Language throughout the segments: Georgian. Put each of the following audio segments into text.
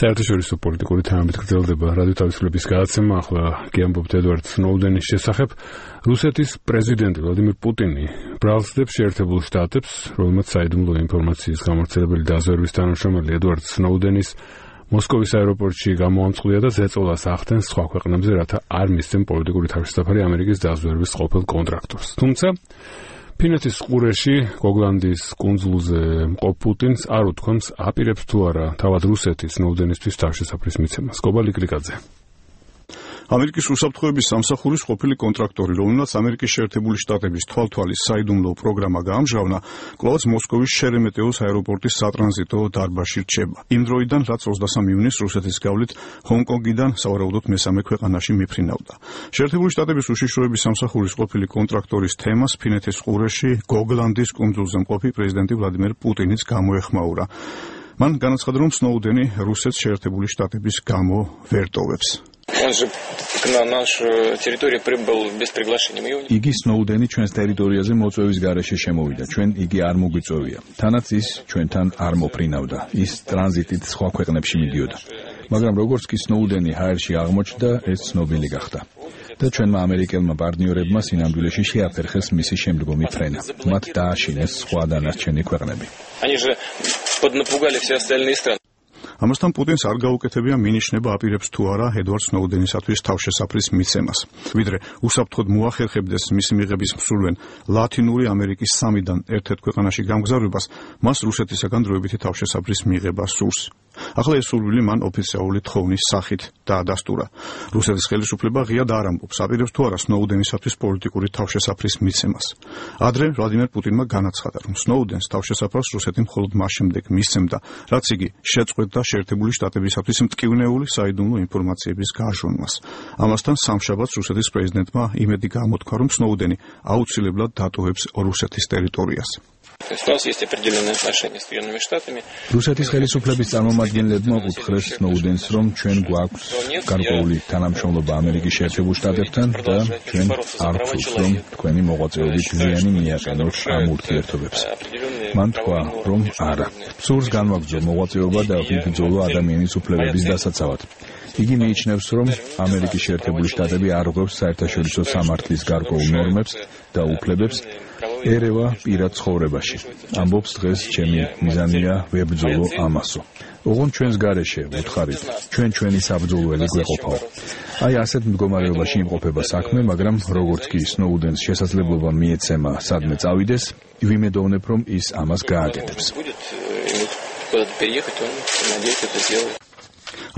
საერთაშორისო პოლიტიკური თემებით გრძელდება რადიო თავისუფლების გადაცემა. ახლა გიამბობთ ედვარდ სნოუდენის შესახებ. რუსეთის პრეზიდენტი ვლადიმირ პუტინი ბრალსდებს შეერთებულ შტატებს, რომელმაც საიდუმლო ინფორმაციის გამავრცელებელი დაზვერვის თანამშრომელი ედვარდ სნოუდენის მოსკოვის აეროპორტში გამოამწყვდია და ზეწოლას ახდენს სხვა ქვეყნებზე, რათა არ მისცენ პოლიტიკური თავშესაფარი ამერიკის დაზვერვის ყოფილ კონტრაქტორს. თუმცა ფინეთის ყურეში, გოგლანდის კუნძულზე მყოფ პუტინს არ უთქვამს, აპირებს თუ არა თავად რუსეთის სნოუდენისთვის თავშესაფრის მიცემას. კობა ლიკლიკაძე. ამერიკის უსაფრთხოების სამსახურის ყოფილი კონტრაქტორი, რომელმაც ამერიკის შეერთებული შტატების თვალთვალის საიდუმლო პროგრამა გაამჟღავნა, კვლავაც მოსკოვის შერემეტეოს აეროპორტის სატრანზიტო დარბაზში რჩება. იმ დროიდან, რაც 23 ივნისს რუსეთის გავლით ჰონკონგიდან სავარაუდოდ მესამე ქვეყანაში მიფრინავდა. შეერთებული შტატების უშიშროების სამსახურის ყოფილი კონტრაქტორის თემას ფინეთის ყურეში, გოგლანდის კუნძულზე მყოფი პრეზიდენტი ვლადიმერ პუტინიც გამოეხმაურა. მან განაცხადა, რომ სნოუდენი რუსეთს შეერთებული შტატების გამო ვერ ტოვებს. იგი სნოუდენი ჩვენს ტერიტორიაზე მოწვევის გარეშე შემოვიდა. ჩვენ იგი არ მოგვიწვევია. თანაც ის ჩვენთან არ მოფრინავდა. ის ტრანზიტით სხვა ქვეყნებში მიდიოდა. მაგრამ როგორც კი სნოუდენი ჰაერში აღმოჩნდა, ეს ცნობილი გახდა. და ჩვენმა ამერიკელმა პარტნიორებმა სინამდვილეში შეაფერხეს მისი შემდგომი ფრენა. მათ დააშინეს სხვა დანარჩენი ქვეყნები. ამასთან პუტინს არ გაუკეთებია მინიშნება აპირებს თუ არა ედვარდ სნოუდენისათვის თავშესაფრის მიცემას. ვიდრე უსაფრთხოდ მოახერხებდეს მისი მიღების მსურველ ლათინური ამერიკის 3-დან ერთ-ერთ ქვეყანაში გამგზავრებას, მას რუსეთისაგან დროებითი თავშესაფრის მიღება სურს. ახლა ეს სურვილი მან ოფიციალური თხოვნის სახით დაადასტურა. რუსეთის ხელისუფლება ღიად არ ამბობს, აპირებს თუ არა სნოუდენისათვის პოლიტიკური თავშესაფრის მიცემას. ადრე ვლადიმერ პუტინმა განაცხადა, რომ სნოუდენს თავშესაფრს რუსეთი მხოლოდ მას შემდეგ მისცემდა, რაც იგი შეწყვეტდა შეერთებული შტატებისათვის მტკივნეული საიდუმლო ინფორმაციების გაჟონვას. ამასთან სამშაბათს რუსეთის პრეზიდენტმა იმედი გამოთქვა, რომ სნოუდენი აუცილებლად დატოვებს რუსეთის ტერიტორიას. რუსეთის ხელისუფლების წარმომადგენლებმა უთხრეს სნოუდენს, რომ ჩვენ გვაქვს გარკვეული თანამშრომლობა ამერიკის შეერთებულ შტატებთან და ჩვენ არ ვთვლით, რომ თქვენი მოღვაწეობით ზიანი მიაყენოთ ამ ურთიერთობებს. მან თქვა, რომ არა. სურს განვაგრძო მოღვაწეობა და ვიბრძოლო ადამიანის უფლებების დასაცავად. იგი მიიჩნევს, რომ ამერიკის შეერთებული შტატები არ ღვევს საერთაშორისო სამართლის გარკვეულ ნორმებს და უფლებებს ერევა პირად ცხოვრებაში. ამბობს, დღეს ჩემი მიზანია ვებრძოლო ამასო. ოღონდ ჩვენს გარეშე ვუთხარით, ჩვენი საბრძოლველი გვეყოფაო. აი ასეთ მდგომარეობაში იმყოფება საქმე, მაგრამ როგორც კი სნოუდენს შესაძლებლობა მიეცემა სადმე წავიდეს, ვიმედოვნებ, რომ ის ამას გააკეთებს.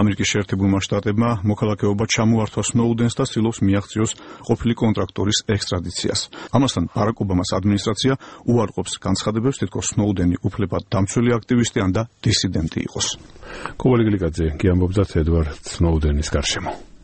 ამერიკის შეერთებულმა შტატებმა მოქალაქეობა ჩამოართვა სნოუდენს და ცდილობს მიაღწიოს ყოფილი კონტრაქტორის ექსტრადიციას. ამასთან ბარაკ ობამას ადმინისტრაცია უარყოფს განცხადებებს, თითქოს სნოუდენი უფლებად დამცველი აქტივისტი ან და დისიდენტი იყოს. კობა ლიკლიკაძე, გიამბობდათ ედვარდ სნოუდენის გარშემო.